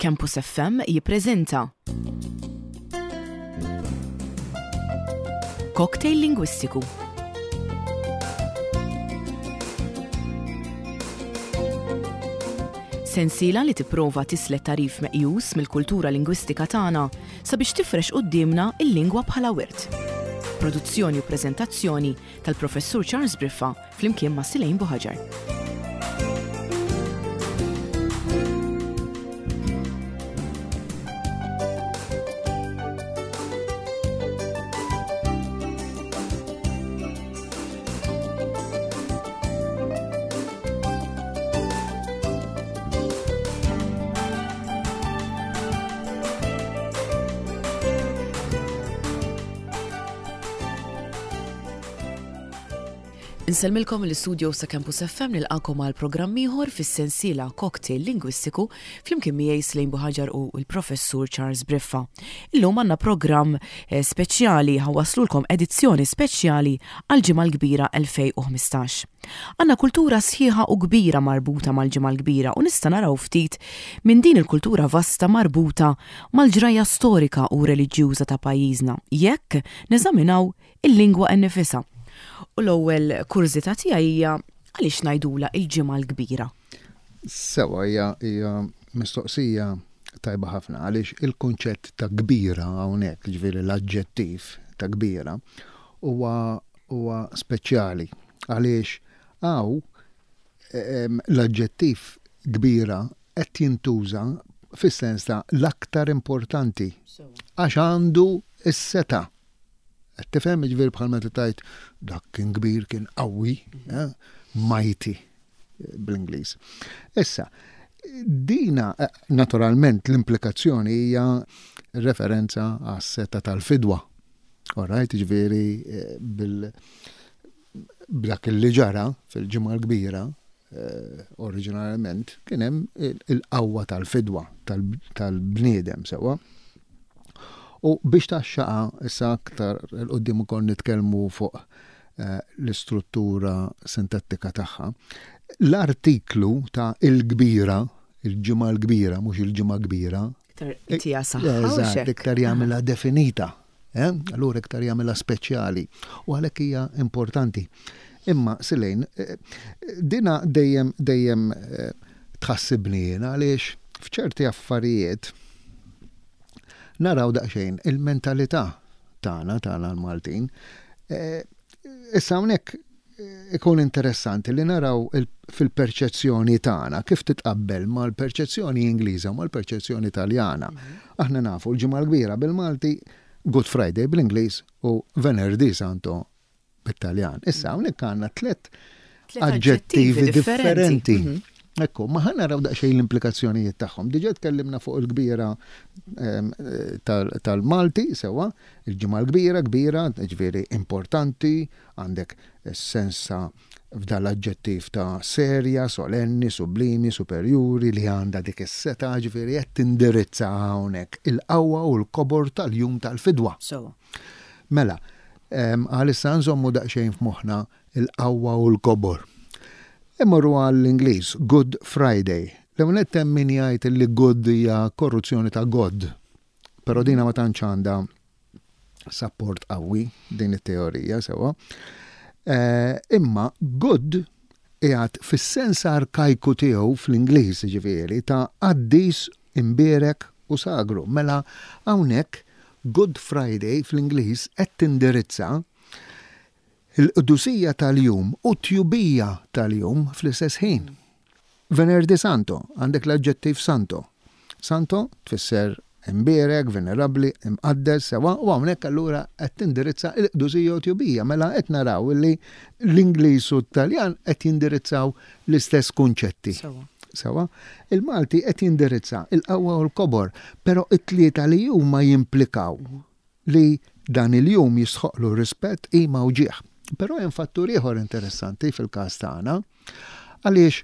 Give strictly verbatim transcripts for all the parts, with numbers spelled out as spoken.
Campus F M jippreżenta Cocktail Lingwistiku. Sensiela li tipprova tislet tagħrif meqjus mill-kultura lingwistika tagħna sabiex tifrex quddiemna il-lingwa bħala wirt. Produzzjoni u preżentazzjoni tal-Professur Charles Briffa flimkien ma' Silejn Buħaġar. Insellmilkom l-istudio sa' Campus F M, nilqakom għal programm ieħor fis-sensiela Cocktail Lingwistiku flimkien miegħi Slejn Buħaġar u l-Professur Charles Briffa. Illum għandna programm eh, speċjali, ħa nwasslulkom edizzjoni speċjali għal Ġimgħa l-Kbira elfejn u ħmistax. Għandna kultura sħiħa u kbira marbuta mal-Ġimgħa l-Kbira u nista' naraw ftit minn din il-kultura vasta marbuta mal-ġrajja storika u reliġjuża ta' pajjiżna jekk neżaminaw il-lingwa nnifisha. U l-ewwel kurżità tiegħi hija għaliex ngħidula il-Ġimgħa l-Kbira. Sewa, hija hija mistoqsija tajba ħafna għaliex il-kunċett ta' kbira hawnhekk, ġifieri l-aġġettiv ta' kbira, huwa huwa speċjali għaliex hawn l-aġġettiv kbira qed jintuża fis-sens ta' l-aktar importanti għax għandu s-setgħa. Qed tifhem, ġifieri bħal meta tgħid dak kien kbir, kien qawwi, eh, mighty bl-Ingliż. Issa, dina eh, naturalment l-implikazzjoni hija referenza għas-setgħa tal-fidwa. Alright, ġifieri eh, bil b'dak li ġara fil-Ġimgħa l-Kbira oriġinarjament kien hemm il-qawwa tal-fidwa tal-bniedem, sewa. U biex taxxaqa issa aktar 'il quddiem ukoll nitkellmu fuq eh, l-istruttura sintattika tagħha. L-artiklu ta' il-kbira, il-Ġimgħa l-Kbira, mhux il-Ġimgħa Kbira. Iktar saħħa. Eżatt, iktar jagħmilha definita. Eh? Allura iktar jagħmilha speċjali u għalhekk hija importanti. Imma Silejn, eh, dina dejjem dejjem tħassibni jiena għaliex f'ċerti affarijiet naraw daqsxejn il-mentalità tagħna tagħna l-Maltin. Eh, issa hawnhekk ikun interessanti li naraw fil-perċezzjoni tagħna kif titqabbel mal-perċezzjoni Ingliża u mal-perċezzjoni Taljana. Mhm. Aħna nafu l-Ġimgħa l-Kbira bil-Malti, Good Friday bl-Ingliż u Venerdì Santo bit-Taljan. Issa hawnhekk għandna tliet aġġettivi differenti. Mhm. Ekku, ma ħa naraw daqsxejn l-implikazzjonijiet tagħhom. Diġà tkellimna fuq il-kbira tal-Malti, sewa, il-Ġimgħa l-Kbira, kbira, ġifieri importanti, għandek sensa f'dal-aġġettiv ta' serja, solenni, sublimi, superjuri, li għandha dik is-setgħa, ġifieri qed tindirizza hawnhekk il-qawwa u l-kobor tal-jum tal-fidwa. Mela, għalissa nżommu daqsxejn f'moħħna il-qawwa u l-kobor. Immorru għall-Ingliż, Good Friday. L-ewwel hemm min jgħid li good hija korruzzjoni ta' God. Però dina ma tantx għandha support qawwi din it-teorija sewa. Eh, imma good qiegħed fis-sens arkajku tiegħu fl-Ingliż, ġifieri ta' qaddis, imbierek u sagru. Mela hawnhekk Good Friday fl-Ingliż qed tindirizza il-qdusija tal-jum u tjubija tal-jum fl-istess ħin. Venerdì Santo, għandek l-aġġettiv santo. Santo tfisser imbierek, venerabli, imqaddes, sewa, u hawnhekk allura qed tindirizza il-qdusija u tjubija. Mela qed naraw li l-Ingliż u t-Taljan qed jindirizzaw l-istess kunċetti. Sewa, il-Malti qed jindirizza il-qawwa u l-kobor, però it-tlieta li huma jimplikaw li dan il-jum jistħoqlu rispett, qima u ġieħ. Però hemm fattur ieħor interessanti fil-każ tagħna għaliex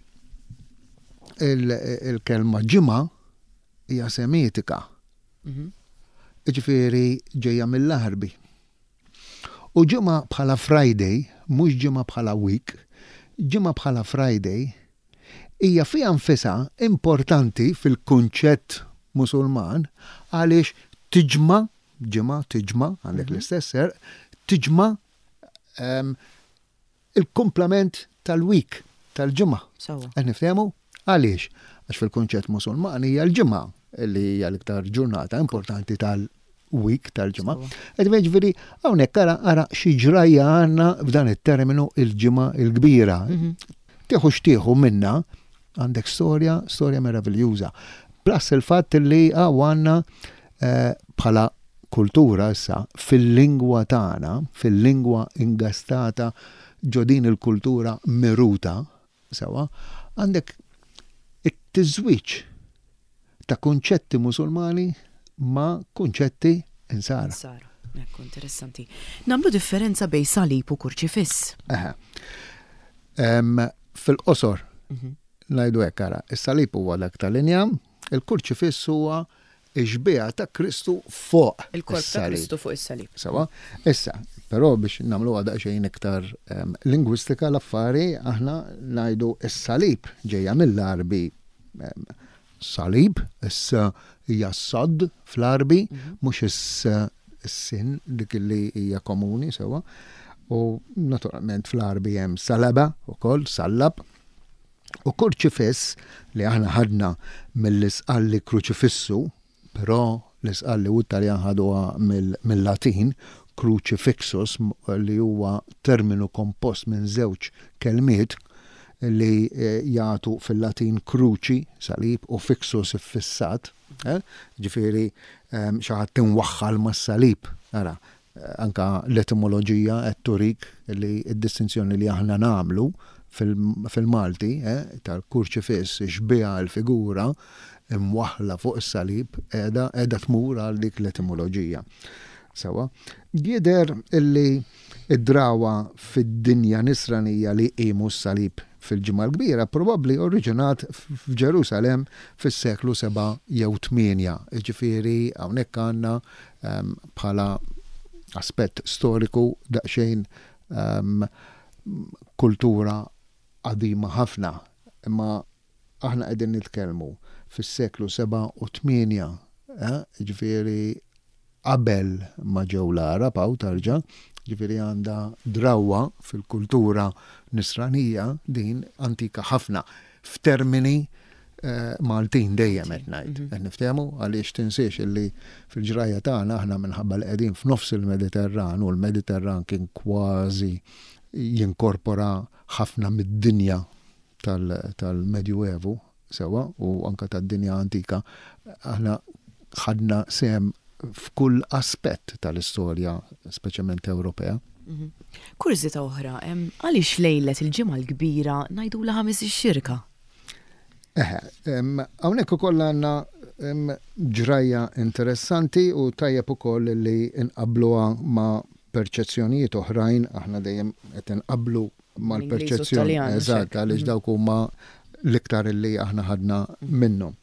il-kelma ġimgħa hija semitika. Mhm. Ġifieri ġejja mill-Għarbi. U ġimgħa bħala Friday, mhux ġimgħa bħala week, ġimgħa bħala Friday hija fiha nfisha importanti fil-kunċett Musulman għaliex tiġma, ġimgħa, tiġma, għandek mhm. l-istess ser, tiġma ehm, il-kumplament tal-week, tal-ġimgħa. Qed niftehmu? Għaliex? Għax fil-kunċett Musulman hija l-ġimgħa li hija l-iktar ġurnata importanti tal-week, tal-ġimgħa. Qed jiġifieri hawnhekk ara ara xi ġrajja għandna f'dan it-terminu il-Ġimgħa il-Kbira. Mhm. Tieħu x'tieħu minna, għandek storja, storja meraviljuża. Plus il-fatt li għandna eh, bħala kultura issa fil-lingwa tagħna, fil-lingwa ingastata ġo din il-kultura miruta, sewa, għandek it-tiżwiġ ta' kunċetti Musulmani ma' kunċetti Insara. Insara. Ekku, interessanti. Nagħmlu differenza bejn salib u kurċifiss. Fil-qosor, mhm. ngħidu hekk, ara, is-salib huwa dak tal-injam, il-kurċifiss huwa ix-xbieha ta' Kristu fuq il-korp ta' Kristu fuq is-salib. Sewa, issa, però biex nagħmlu daqsxejn iktar um, lingwistika l-affari, aħna ngħidu is-salib ġejja mill-Arbi um, salib, issa hija sad fl-Arbi, mhm. mhux is-sin dik li hija komuni, sewa. U naturalment fl-Arbi hemm salaba ukoll, sallab. U kurċifiss li aħna ħadna mill-Isqalli kruċifissu, però l-Isqalli u t-Taljan ħaduha mill-Latin, crucifixus, li huwa terminu kompost minn żewġ kelmiet li eh, jagħtu fil-Latin cruci, salib, u fixus, iffissat, eh? Ġifieri ehm, xi ħadd tinwaħħal mas-salib. Ara, eh, anka l-etimoloġija qed turik li d-distinzjoni li aħna nagħmlu fil-Malti eh, tal-kurċifiss, xbieha, l-figura imwaħla fuq is-salib, qiegħda qiegħda tmur għal dik l-etimoloġija. Sewa, jidher illi id-drawa fid-dinja nisranija li jqimu s-salib fil-Ġimgħa l-Kbira probabbli oriġinat f'Ġerusalem fis-seklu seba' jew tmienja. Jiġifieri hawnhekk għandna ehm, bħala aspett storiku daqsxejn ehm, kultura qadima ħafna. Imma aħna qegħdin nitkellmu fis-seklu seba' u tmienja, eh, ġifieri qabel ma ġew l-Għarab hawn tarġa, ġifieri għandha drawwa fil-kultura nisranija din antika ħafna f'termini eh, Maltin dejjem qed ngħid. Mhm. Qed niftehmu? Għaliex tinsiex illi fil-ġrajja tagħna aħna, minħabba li qegħdin f'nofs il-Mediterran u l-Mediterran kien kważi jinkorpora ħafna mid-dinja tal-Medjuevu, sewa, u anka tad-dinja antika, aħna ħadna sehem f'kull aspett tal-istorja, speċjalment Ewropea. Mhm. Kurżità oħra, għaliex lejlet il-Ġimgħa l-Kbira ngħidulha Ħamis ix-Xirka? Eħe, hawnhekk ukoll għandna ġrajja interessanti u tajjeb ukoll li nqabluha ma' perċezzjonijiet oħrajn, aħna dejjem qed inqablu mal-perċezzjoni. Eżatt, għaliex mhm. dawk huma l-iktar li aħna ħadna minnhom.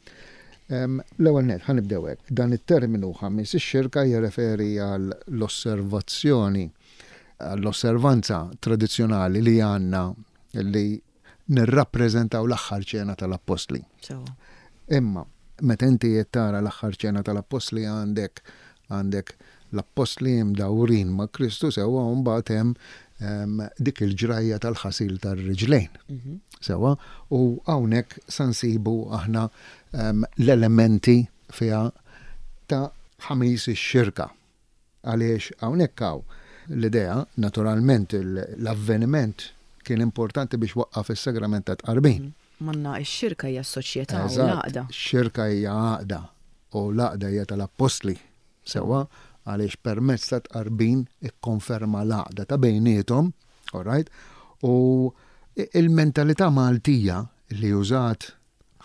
L-ewwel net, ħa nibdew hekk. Dan it-terminu Ħamis ix-Xirka jirreferi għal l-osservazzjoni, għall-osservanza tradizzjonali li għandna li nirrappreżentaw l-aħħar ċena tal-Appostli. Imma meta inti qed tara l-aħħar ċena tal-Appostli, għandek għandek l-appostli mdawrin ma' Kristu, sewa, u mbagħad hemm dik il-ġrajja tal-ħasil tar-riġlejn. Mhm. Sewa, u hawnhekk sa nsibu aħna l-elementi fiha ta' Ħamis ix-Xirka. Għaliex hawnhekk hawn l-idea, naturalment l-avveniment kien importanti biex waqqaf is-sagrament ta' tqarbin. Mhm. Manna x-xirka hija s-soċjetà u l-għaqda. Xirka hija għaqda u l-għaqda hija tal-appostli. Sewa, għaliex permezz ta' tqarbin ikkonferma l-għaqda ta' bejniethom, all right? U il-mentalità Maltija li użat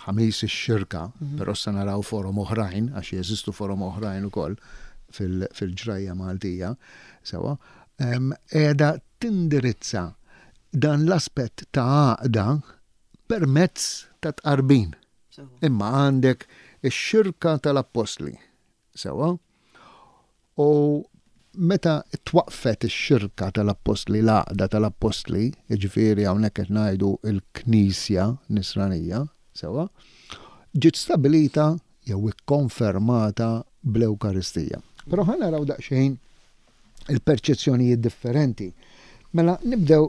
Ħamis ix-Xirka, mhm. però sa naraw forom oħrajn, għax jeżistu forom oħrajn ukoll fil-ġrajja Maltija, sewa, qiegħda tindirizza dan l-aspett ta' għaqda permezz ta' tqarbin. Imma għandek ix-xirka tal-appostli, sewa, u meta twaqfet ix-xirka tal-appostli, l-għaqda tal-appostli, jiġifieri hawnhekk qed ngħidu l-Knisja Nisranija, sewa, ġiet stabilita jew ikkonfermata bl-Ewkaristija. Però ħa naraw daqsxejn il-perċezzjonijiet differenti. Mela nibdew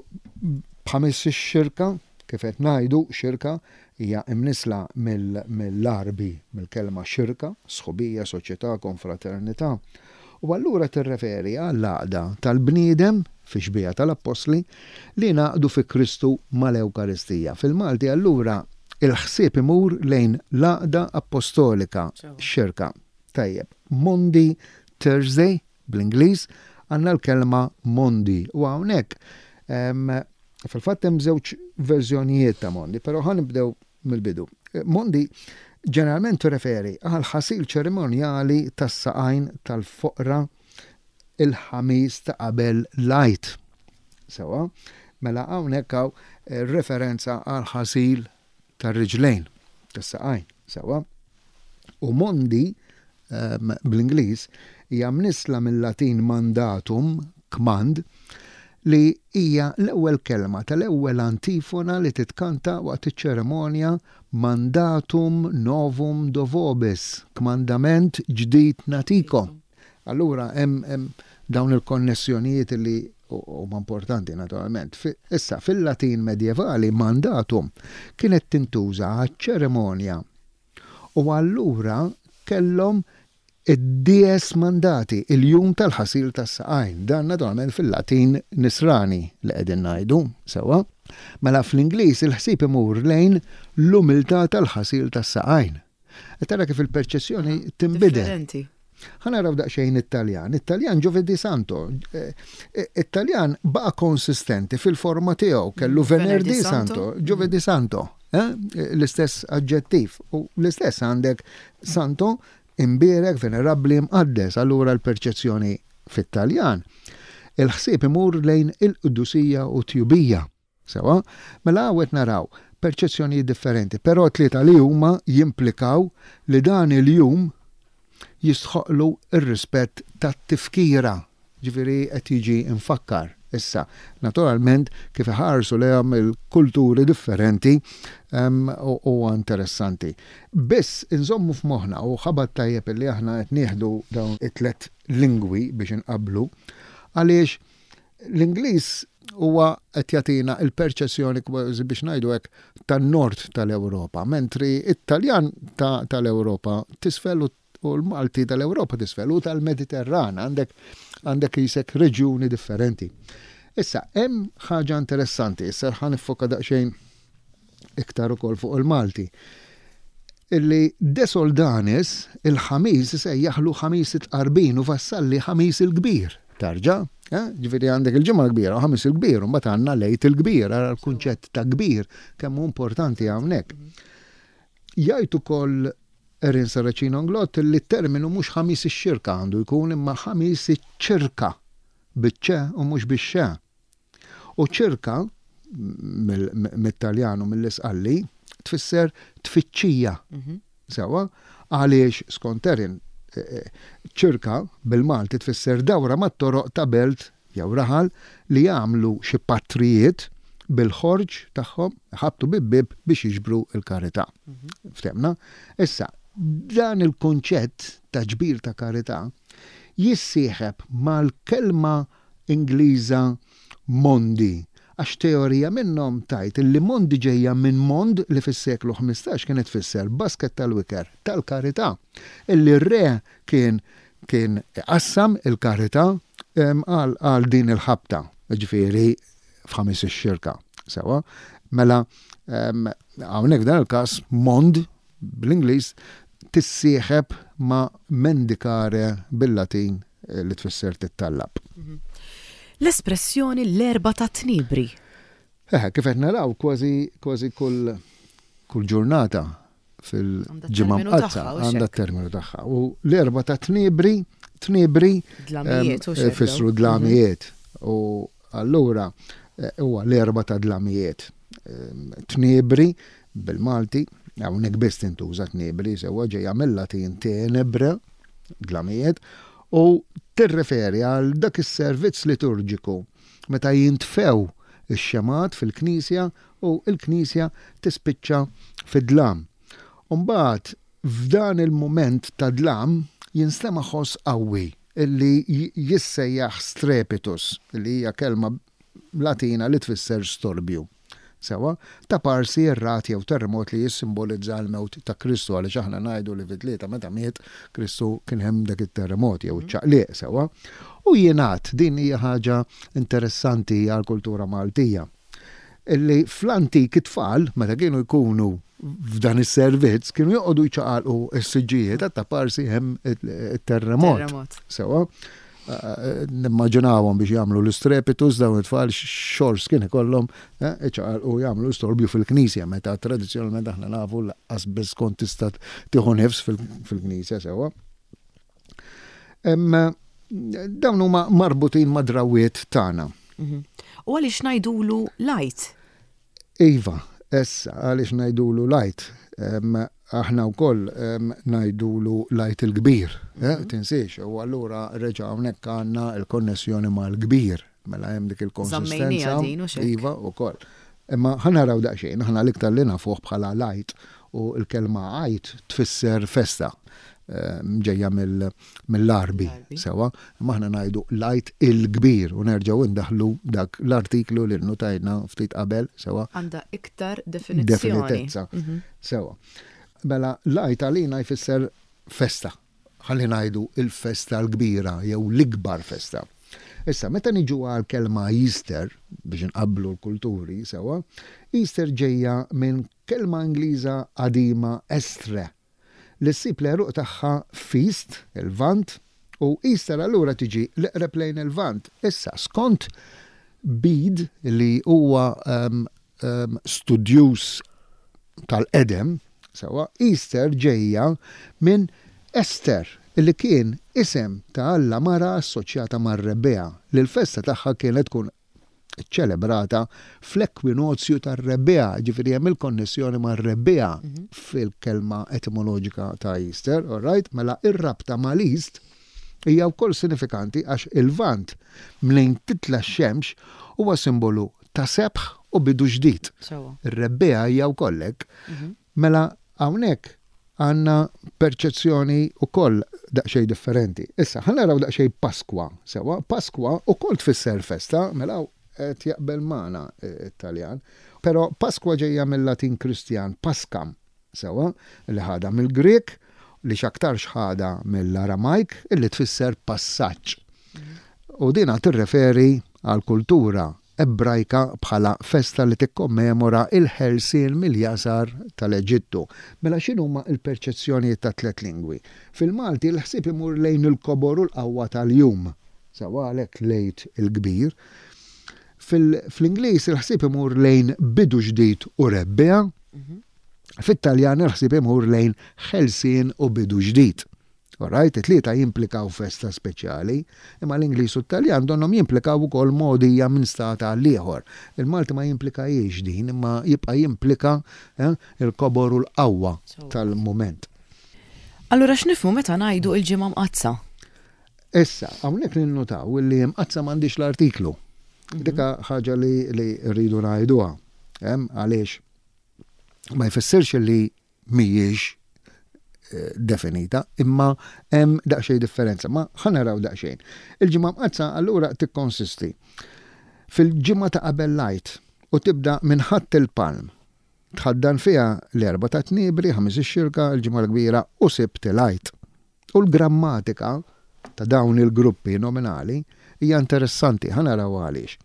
b'Ħamis ix-Xirka, kif qed ngħidu, xirka hija imnisla mill-Għarbi, mill-kelma xirka, sħubija, soċjetà, konfraternità. U allura tirreferi għall-għaqda tal-bniedem fi xbieha tal-Appostli li ngħaqdu fi Kristu mal-Ewkaristija. Fil-Malti allura il-ħsieb imur lejn l-għaqda apostolika, xirka. Tajjeb, Maundy Thursday bl-Ingliż għandna l-kelma Maundy u hawnhekk fil-fatt hemm żewġ verżjonijiet ta' Maundy, però ħa nibdew mill-bidu. Maundy ġeneralment tirreferi għal ħasil ċerimonjali tas-saqajn tal-foqra il-Ħamis ta' qabel l-Għid. Sewa, mela hawnhekk hawn referenza għal ħasil tar-riġlejn tas-saqajn, sewa. U Maundy bl-Ingliż hija mnisla mill-Latin mandatum, kmand, li hija l-ewwel kelma tal-ewwel antifona li titkanta waqt iċ-ċerimonja mandatum novum do vobis, kmandament ġdid nagħtikom. Allura hemm dawn il-konnessjonijiet li huma importanti naturalment. Issa fil-Latin medjevali mandatum kienet tintuża għaċ-ċerimonja u allura kellhom id-dies mandati, il-jum tal-ħasil tas-saqajn. Dan naturalment fil-Latin nisrani li qegħdin ngħidu, sewa. Mela fl-Ingliż il-ħsieb imur lejn l-umiltà tal-ħasil tas-saqajn. Tara kif il-perċezzjoni tinbidel. Ħa naraw daqsxejn Italjan. Italjan Giovedì Santo. Italjan baqa' konsistenti fil-forma tiegħu, kellu Venerdì Santo, Giovedì Santo. L-istess aġġettiv. U l-istess għandek Santo imbierek, venerabbli, mqaddes, allura l-perċezzjoni fit-Taljan. Il-ħsieb imur lejn il-qdusija u tjubija. Sewa, mela hawn naraw perċezzjoni differenti, però tlieta li huma jimplikaw li dan il-jum jistħoqlu ir-rispett tat-tifkira, ġifieri qed jiġi infakkar. Issa, naturalment, kif iħarsu lejhom il-kulturi differenti huwa interessanti. Biss inżommu f'moħħna u ħabat tajjeb li aħna qed nieħdu dawn it-tlet lingwi biex inqablu, għaliex l-Ingliż huwa qed jagħtina l-perċezzjoni kważi biex ngħidu hekk tan-nord tal-Ewropa, mentri it-Taljan tal-Ewropa tisfel u l-Malti tal-Ewropa tisfel u tal-Mediterran, għandek għandek jisek reġjuni differenti. Issa, hemm ħaġa interessanti, issa ħa niffoka daqsxejn iktar ukoll fuq il-Malti. Illi De Soldanis il-Ħamis sejjaħlu Ħamis it-Tqarbin u Vassalli Ħamis il-Kbir. Tarġa, eh? Ġifieri għandek il-Ġimgħa l-Kbira u Ħamis il-Kbir, u mbagħad għandna l-Għid il-Kbir, ara l-kunċett ta' kbir kemm hu importanti hawnhekk. Jgħid ukoll Erin Saracino Inglott li t-terminu mhux Ħamis ix-Xirka għandu jkun imma Ħamis iċ-Ċirka biċ-ċe u mhux bix-xe. U ċirka mit-Taljan u mill-Isqalli tfisser tfittxija. Sewa, għaliex skont Erin ċirka bil-Malti tfisser dawra mat-toroq ta' belt jew raħal li jagħmlu xi patrijiet bil-ħorġ tagħhom ħabtu bib-bib biex jiġbru l-karità. Ftemna? Issa, dan il-kunċett ta' ġbir ta' karità jissieħeb mal-kelma Ingliża Maundy, għax teorija minnhom tajt li Maundy ġejja minn Mond li fis-seklu ħmistax kienet tfisser basket tal-wiker tal-karità, illi r-re kien kien qassam il-karità għal din il-ħabta, ġifieri f'Ħamis ix-Xirka. Sewa, mela hawnhekk dan il-każ Mond bl-Ingliż tissieħeb ma' mendicare bil-Latin li tfisser tittallab. L-espressjoni l-Erbgħa ta' Tniebri. Eh, kif qed naraw kważi kważi kull kull ġurnata fil-ġimgħa mqaddsa għandha t-terminu tagħha. U l-Erbgħa ta' Tniebri, Tniebri fissru dlamijiet. U allura huwa l-Erbgħa ta' dlamijiet. Tniebri bil-Malti, hawnhekk biss tintuża tniebri, sewwa ġejja mill-Latin tenebre, dlamijiet, u tirreferi għal dak is-servizz liturġiku meta jintfew ix-xemat fil-knisja u l-knisja tispiċċa fid-dlam. Umbagħad F'dan il-moment ta' dlam jinstema' ħoss qawwi illi jissejjaħ strepitus, illi hija kelma Latina li tfisser storbju. Sewa, ta' parsi ir-ragħad jew terremot li jissimbolizza l-mewt ta' Kristu, għaliex aħna ngħidu li fit-tlieta meta miet Kristu kien hemm dak it-terremot jew ċaqliq, sewa. U jingħad, din hija ħaġa interessanti għall-kultura Maltija, illi fl-antik it-tfal meta kienu jkunu f'dan is-servizz kienu joqogħdu jċaqalqu s-siġġijiet ta' parsi hemm it-terremot. Sewa, nimmaġinawhom biex jagħmlu l-istrepitus dawn it-tfal xors kien ikollhom iċaqalqu jagħmlu storbju fil-knisja, meta tradizzjonalment aħna nafu lanqas biss kont tista' tieħu nifs fil-knisja, sewa. Dawn huma marbutin ma' drawiet tagħna. U għaliex ngħidulu l-Għid? Iva, issa għaliex ngħidulu l-Għid? Aħna wkoll ngħidulu l-Għid il-Kbir, tinsiex, u allura reġa' hawnhekk għandna l-konnessjoni mal-kbir, mela hemm dik il-konsistenza. Iva wkoll. Imma ħa naraw daqsxejn, aħna l-iktar li nafuh bħala l-Għid, u l-kelma Għid tfisser festa, ġejja mill-Għarbi, sewa, imma aħna ngħidu l-Għid il-Kbir u nerġgħu ndaħlu dak l-artiklu li nnotajna ftit qabel, sewa. Għandha iktar definizzjoni. Definitezza, sewa. Mela l-Għid għalina jfisser festa, ħalli ngħidu il-festa l-kbira jew l-ikbar festa. Issa, meta niġu għal kelma Easter, biex nqabblu l-kulturi, sewa, Easter ġejja minn kelma Ingliża qadima estre, li ssib l-għeruq tagħha feast, il-Lvant, u Easter allura tiġi l-eqreb lejn il-Lvant. Issa, skont Bede, li huwa um, um, studjuż tal-qedem, sewa, Easter ġejja minn Ester, li kien isem ta' Alla mara assoċjata mar-rebbiegħa, li l-festa tagħha kienet tkun ċelebrata fl-ekwinozju tar-rebbiegħa, ġifieri hemm il-konnessjoni mar-rebbiegħa fil-kelma etimoloġika ta' Easter, all right? Mela ir-rabta mal-East hija wkoll sinifikanti għax il-Lvant mnejn titla' x-xemx huwa simbolu ta' sebħ u bidu ġdid. Ir-rebbiegħa hija wkoll hekk. Mela hawnhekk għandna perċezzjoni wkoll daqsxejn differenti. Issa, ħa naraw daqsxejn Pasqua, sewa, Pasqua wkoll tfisser festa, mela qed jaqbel magħna it-Taljan. Però Pasqua ġejja mill-Latin Kristjan Pascam, sewa, li ħadha mill-Grek, li x'aktarx ħadha mill-Aramajk, illi tfisser passaġġ. U dina tirreferi għal kultura Ebrajka bħala festa li tikkommemora il-ħelsien mill-jasar tal-Eġittu. Mela x'inhuma l-perċezzjonijiet ta' tliet lingwi? Fil-Malti l-ħsieb imur lejn il-kobor u l-qawwa tal-jum, sewa għalhekk l-Għid il-Kbir. Fl-Ingliż il-ħsieb imur lejn bidu ġdid u rebbiegħa. Fit-Taljan il-ħsieb imur lejn ħelsien u bidu ġdid. Alright, it-tlieta jimplikaw festa speċjali, imma l-Ingliż u t-Taljan donnhom jimplikaw ukoll mogħdija minn stat għal ieħor. Il-Malti ma jimplikajiex din, imma jibqa' jimplika eh, il-kobor u l-qawwa tal-mument. Allura x'nifhmu meta ngħidu l-Ġimgħa Mqaddsa? Issa, hawnhekk ninnutaw li Mqaddsa m'għandix l-artiklu. Dika ħaġa li, li rridu ngħiduha. Għaliex ma jfissirx li mhijiex definita, imma hemm daqsxejn differenza. Ma ħa naraw daqsxejn. Il-Ġimgħa Mqaddsa allura tikkonsisti fil-ġimgħa ta' qabel l-Għid u tibda minn Ħadd il-Palm. Tħaddan fiha l-Erbgħa ta' Tniebri, Ħamis ix-Xirka, il-Ġimgħa l-Kbira u Sibt il-Għid. U l-grammatika ta' dawn il-gruppi nominali hija interessanti, ħa naraw għaliex.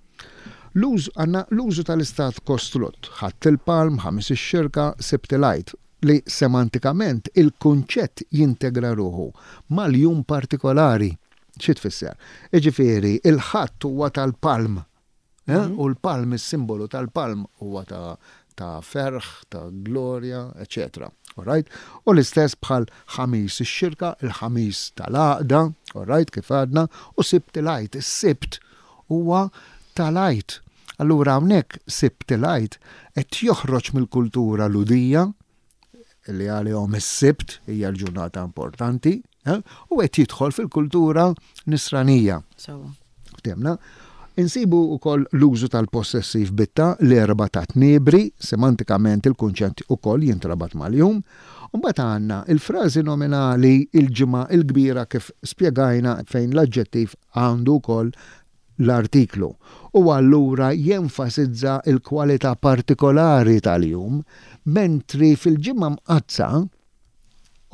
Għandna l-użu tal-istat kostrott, Ħadd il-Palm, Ħamis ix-Xirka, Sibt il-Għid, li semantikament il-kunċett jintegra ruħu mal-jum partikolari. Xi tfisser? Iġifieri, il-Ħadd huwa tal-palm, eh? U l-palm, is-simbolu tal-palm huwa ta', ta' ferħ, ta' glorja, eċċetera. Alright? U l-istess bħal Ħamis ix-Xirka, il-Ħamis tal-għaqda, alright, kif għadna, u Sibt il-Għid. Is-Sibt huwa tal-Għid. Allura hawnhekk Sibt il-Għid qed joħroġ mill-kultura Lhudija, li għalihom is-Sibt hija l-ġurnata importanti, eh? U qed jidħol fil-kultura nisranija. Sewa. Ftemna? Insibu wkoll l-użu tal-possessiv bitta l-Erbgħa ta' Tniebri, semantikament il-kunċett ukoll jintrabat mal-jum, Mbagħad għandna il-frażi nominali il-Ġimgħa il-Kbira kif spjegajna fejn l-aġġettiv għandu wkoll l-artiklu. U allura jenfasizza il-kwalità partikolari tal-jum, mentri fil-Ġimgħa Mqaddsa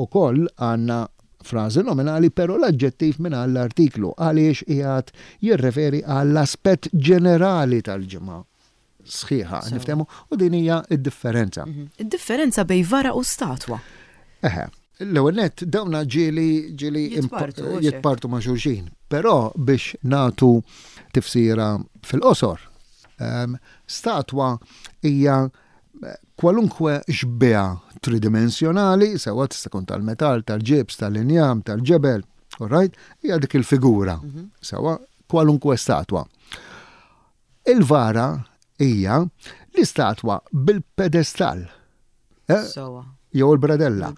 ukoll għandna frażi nominali, però l-aġġettiv minn l-artiklu għaliex qiegħed jirreferi għall-aspett ġenerali tal-ġimgħa sħiħa, niftehmu, u din hija id-differenza. Mhm. Id-differenza bejn vara u statwa. Eħe, l-ewwel nett dawna ġieli ġieli Jitpartu, jitpartu ma' xulxin, però biex nagħtu tifsira fil-qosor, ehm, statwa hija kwalunkwe xbieha tridimensjonali, sewa tista' tkun tal-metall, tal-ġibs, tal-injam, tal-ġebel, all right? Hija dik il-figura, mhm. sewa kwalunkwe statwa. Il-vara hija l-istatwa bil-pedestal. Eh? Sewa. Jew il-bradella.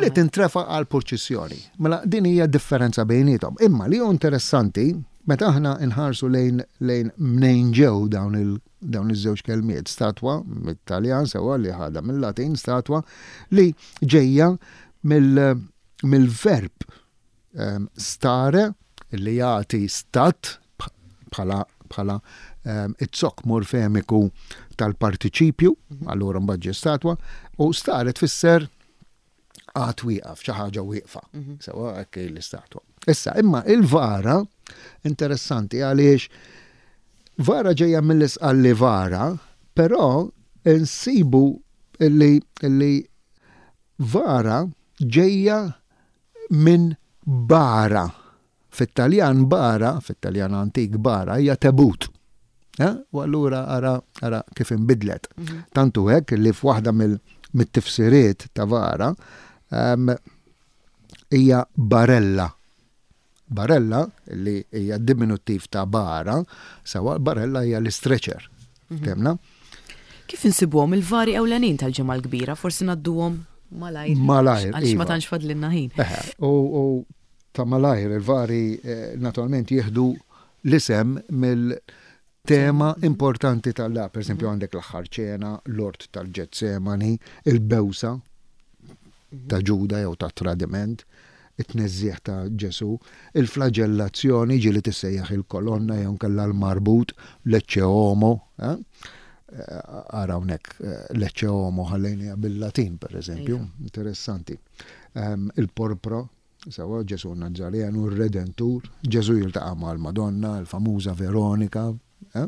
Li tintrefa għal purċissjoni. Mela din hija differenza bejnietom. Imma li hu interessanti, meta aħna nħarsu lejn lejn mnejn ġew dawn il dawn iż-żewġ kelmiet, statwa mit-Taljan sewa li ħadha mill-Latin statwa li ġejja mill-verb ehm, stare li jagħti stat bħala bħala ehm, it-zokk morfemiku tal-partiċipju, mhm. allura mbagħad ġie statwa, u stare tfisser għad wieqaf, xi ħaġa wieqfa. Mhm. Sewa hekk l-istatwa. Issa, imma il-vara interessanti għaliex vara ġejja mill-Isqalli vara, però nsibu illi, illi vara ġejja minn bara. Fit-Taljan bara, fit-Taljan antik bara, hija tebut. Eh? U allura ara, ara kif inbidlet. Mhm. Tantu hekk li f'waħda mill-tifsiriet ta' vara hija barella. Barella, li hija diminuttiv ta' bara, sewa barella hija l-stretcher. Mhm. Temna? Kif insibuhom il-vari ewlenin tal-Ġimgħa l-Kbira? Forsi ngħadduhom malajr. Malajr. Għaliex ma iva. tantx fadlilna ħin. Eħe, u ta' malajr il-vari eh, naturalment jieħdu l-isem mill-tema importanti tal-la, per esempio għandek l-aħħar ċena, l-ort tal-Ġetsemani, il-bewsa ta' Ġuda jew ta' tradiment, it-tneżżiegħ ta' Ġesu, il-flagellazzjoni ġieli tissejjaħ il-kolonna jew kellha l-marbut, l-Ecce Homo, eh? Ara hawnhekk eh, l-Ecce Homo ħallejnija bil-Latin per eżempju, interessanti. Ehm, il-porpra, sewa Ġesu Nazzarenu, il-Redentur, Ġesu jiltaqa' mal-Madonna, il-famuża Veronika, eh,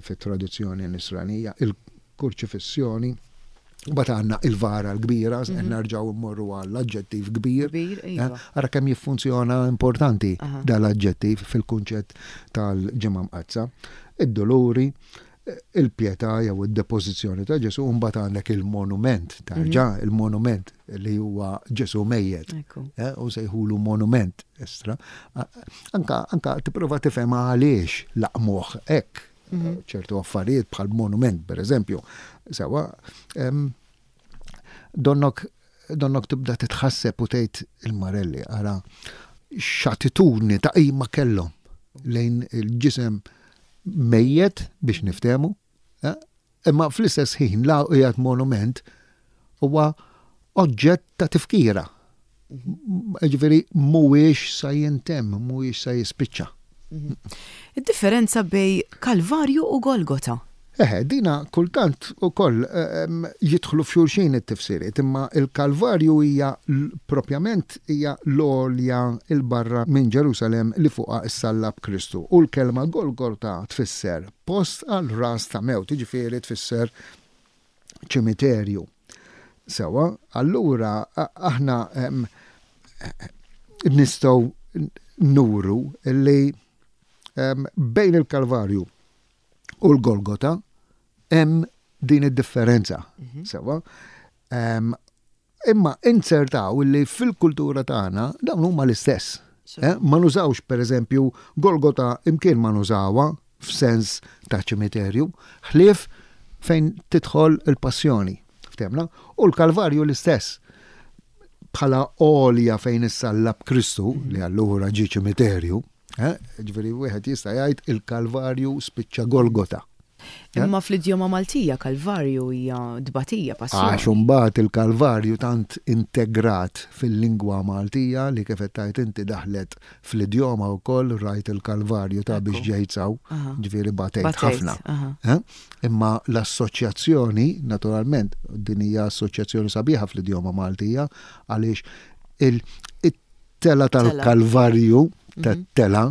fit-tradizzjoni nisranija, il-kurċifissjoni, Bat għandna il-vara l-kbira, mm -hmm. nerġaw immorru għall-aġġettiv kbir. Kbir, eh, iva. Ara kemm jiffunzjona importanti Aha. dal-aġġettiv fil-kunċett tal-Ġimgħa Mqaddsa. Id-doluri, il-pietà jew id-depożizzjoni ta' Ġesu, mbagħad għandek il-monument, tarġa' mhm. il-monument li huwa Ġesu mejjet. Eh, u sejħulu monument estra. Anka, anka tipprova tifhem għaliex laqmuh hekk mhm. ċertu affarijiet bħal monument, per eżempju. Sewa, donnok donnok tibda titħasseb u tgħid il-Marelli ara x'attitudni ta' qima kellhom lejn il-ġisem mejjet biex niftehmu, eh? Imma fl-istess ħin la qiegħed monument huwa oġġett ta' tifkira. Ġifieri mhuwiex sa jintemm, mhuwiex sa jispiċċa. Mhm. Id-differenza bejn Kalvarju u Golgota. Eħe, dina kultant ukoll ehm, jidħlu f'xulxin it-tifsiriet, imma il-Kalvarju hija propjament hija l-għolja il-barra minn Ġerusalem li fuqha issallab Kristu. U l-kelma Golgota tfisser post għal ras ta' mewt, jiġifieri tfisser ċimiterju. Sewa, allura aħna ehm, nistgħu nuru li ehm, bejn il-Kalvarju u l-Golgota hemm din id-differenza. Mhm. Sewa. Imma inzertaw li fil-kultura tagħna dawn huma l-istess. Eh? Ma nużawx pereżempju Golgota imkien ma nużawha f'sens ta' ċimiterju, ħlief fejn tidħol il-passjoni. Ftemna? U l-Kalvarju l-istess. Bħala għolja fejn issallab Kristu, mhm. li allura ġie ċimiterju, eh? Ġifieri wieħed jista' jgħid il-Kalvarju spiċċa Golgota. Imma fl-idjoma Maltija Kalvarju hija tbatija, passjoni. Għax imbagħad il-Kalvarju tant integrat fil-lingwa Maltija li kif qed tgħid inti daħlet fl-idjoma wkoll, rajt il-Kalvarju ta' biex ġejt s'hawn, ġifieri batejt ħafna. Imma l-assoċjazzjoni, naturalment, din hija assoċjazzjoni sabiħa fl-idjoma Maltija għaliex il-tela tal-Kalvarju, tat-tela,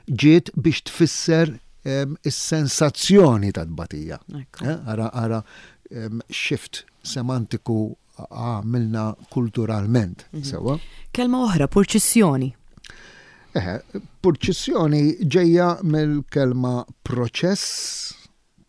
ġiet biex tfisser is-sensazzjoni ta' tbatija. Ara, ara, shift semantiku għamilna kulturalment. Sewa. Kelma oħra, purċissjoni. Eħe, purċissjoni ġejja mill-kelma proċess,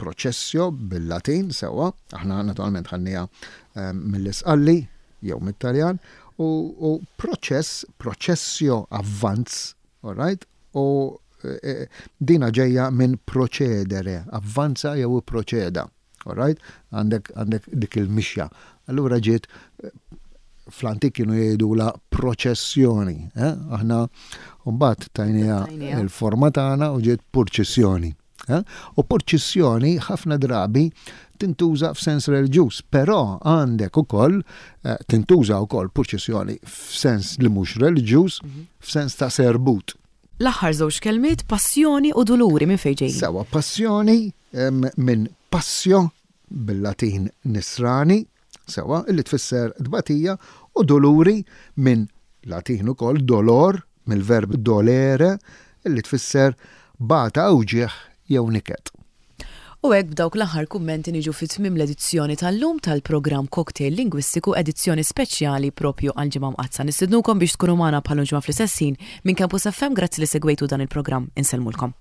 processio bil-Latin, sewa, aħna naturalment ħadnieha mill-Isqalli jew mit-Taljan, u, u proċess, processio avvanz, all right, u e, dina ġejja minn procedere, avvanza jew proċeda, all right, għandek, għandek dik il-mixja. Allura ġiet fl-antik kienu jgħidu la proċessjoni, eh? Aħna mbagħad tajnieha il-forma tagħna u ġiet purċissjoni. Eh? U purċissjoni ħafna drabi tintuża f'sens reliġjuż, però għandek ukoll eh, tintuża wkoll purċissjoni f'sens li mhux reliġjuż, f'sens ta' serbut. L-aħħar żewġ kelmiet, passjoni u duluri, minn fejn ġejjin? Sewa, passjoni minn passio bil-Latin nisrani, sewa, illi tfisser tbatija, u duluri minn Latin ukoll dolor, mill-verb dolere, illi tfisser bata, uġigħ jew niket. U hekk b'dawk l-aħħar kummenti niġu fi tmiem l-edizzjoni tal-lum tal-programm Cocktail Lingwistiku, edizzjoni speċjali propju għal Ġimgħa Mqaddsa. Nistednukom biex tkunu magħna bħal ġimgħa fl-istess ħin minn Campus F M. Grazzi li segwejtu dan il-programm. Insellmulkom.